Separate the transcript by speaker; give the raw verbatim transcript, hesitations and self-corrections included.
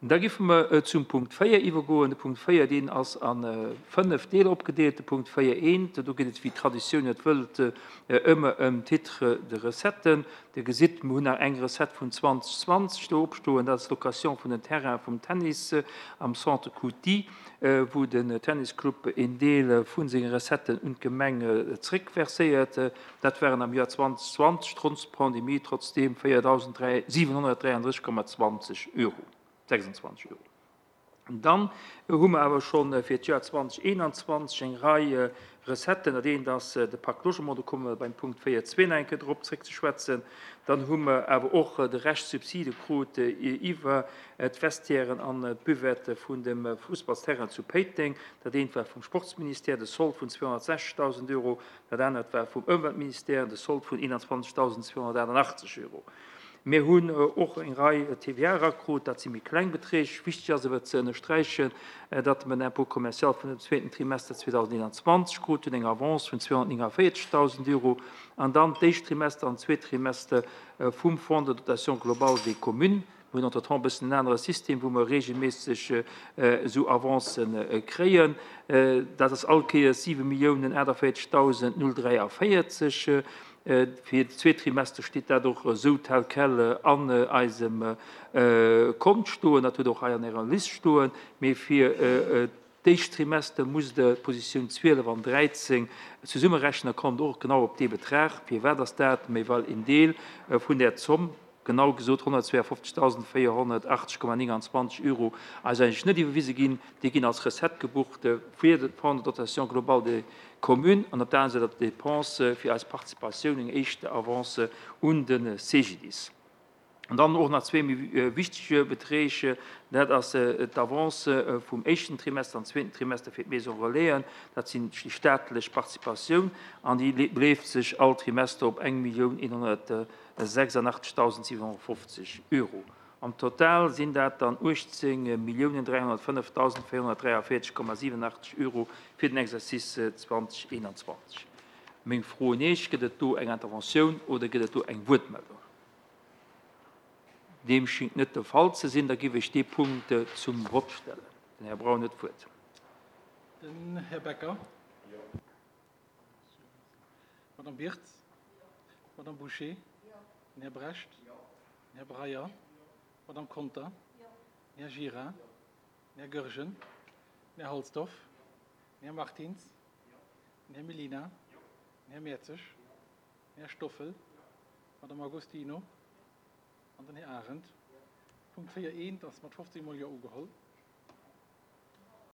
Speaker 1: Da giffe mer zum Punkt véier iwwergoen. De Punkt véier, deen ass a fënnef Deeler opgedeelt. De Punkt véier eent, do geet et, wéi d'Traditioun et wëllt, ëmmer ëm Titre de recetten. Dir gesitt, mir hunn nach eng Recette vun zwanzeg zwanzeg do opstoen, dat ass d'Location vun den Terrainen vum Tennis am Centre Couty, wou den Tennisclub een Deel vu senge Recetten un d'Gemeng zréckverséiert. Dat waren am Joer zwanzeg zwanzeg, trotz Pandemie, trotzdeem véierdausendsiwenhonnertdräianddrësseg Komma zwanzeg Euro. Sechsundzwanzeg Euro. Dann hu mer awer schonn fir d'Joer zwanzeg eenanzwanzeg eng Rei Recetten. Dat eent ass de Pacte Logement, do komme mer beim Punkt véier zwee nach eng Kéier drop zréck ze schwätzen. Dann hu mer awer och de Rescht Subside krut iwwer d'Vestiairen an d'Buvette vun dem Fussballsterrain zu Péiteng. Dat eent war vum Sportsministère, de Sold vun zweehonnertsechzegdausend Euro. Dat anert war vum Ëmweltministère, de Sold vun eenanzwanzegdausendzweehonnertachtundachtzeg Euro. Mir hunn och eng Rei T V A erakrut, dat si méi kleng Beträg. Wichteg ass awer ze ënnersträichen, datt mer en Impôt commercial vun dem zweeten Trimester zweedausendeenanzwanzeg krut hunn, eng Avance vun zweehonnertnénganvéierzegdausend Euro, an dann d'éischt Trimester an zweet Trimester vum Fonds de dotation globale des communes. Mir hunn entretemps e bëssen en anere System, wou mer regelméisseg esou Avancen kréien. Dat ass all Kéiers siwe Milliounen aachtavéierzegdausend null dräiavéierzeg. Fir de zweet Trimester steet dat och esou tel quel an eisem Kont stoen. Dat huet och hei an Ärer List stoen. Mee fir d'éischt Trimester musst Der d'Positioun zwielef an dräizéng zesummerechnen, da kommt och genau op dee Betrag. Firwat ass dat? Méi well een Deel vun där Zomm, genau gesot honnertzweeafofzegdausendvéierhonnertachtzeg Komma nénganzwanzeg Euro, eis eigentlech net iwwerwise ginn. Déi ginn als Recette gebucht fir de Fonds de dotation globale des communes an op der anerer Säit op d'Dépense fir eis Participatioun, eng éischt Avance un de C G D I S. An dann och nach zwee méi wichtege Beträg, dat ass d'Avance vum éischten Trimester an zweeten Trimester fir d'Maison Relaisen, dat sinn déi staatlech Participatioun, an déi beleeft sech all Trimester op eng Millioun eenhonnertsechsundachtzegdausendsiewenhonnertfofzeg Euro. Am Total sinn dat dann uechtzéng Milliounen dräihonnertfënnefdausendvéierhonnertdräiavéierzeg Komma siewenundachtzeg Euro fir den Exercice zwanzeg eenanzwanzeg. Meng Fro un Iech, gëtt et do eng Interventioun oder gëtt et do eng Wuertmeldung? Deem schéngt net de Fall ze sinn, da géif ech dee Punkt zum Vott stellen. Den Här Braun huet d'Wuert.
Speaker 2: Den Här Becker. Madame Birtz. Madame Boucher. Den Här Brecht. Den Här Breyer. Madame Conter. Den Här Gira. Den Här Goergen. Den Här Halsdorf. Den Här Martins. Den Här Mellina. Den Här Mertzig. Den Här Stoffel. Madame Agostino. An den Här Arendt. Punkt véier eent ass mat fofzéng Mol Jo ugeholl.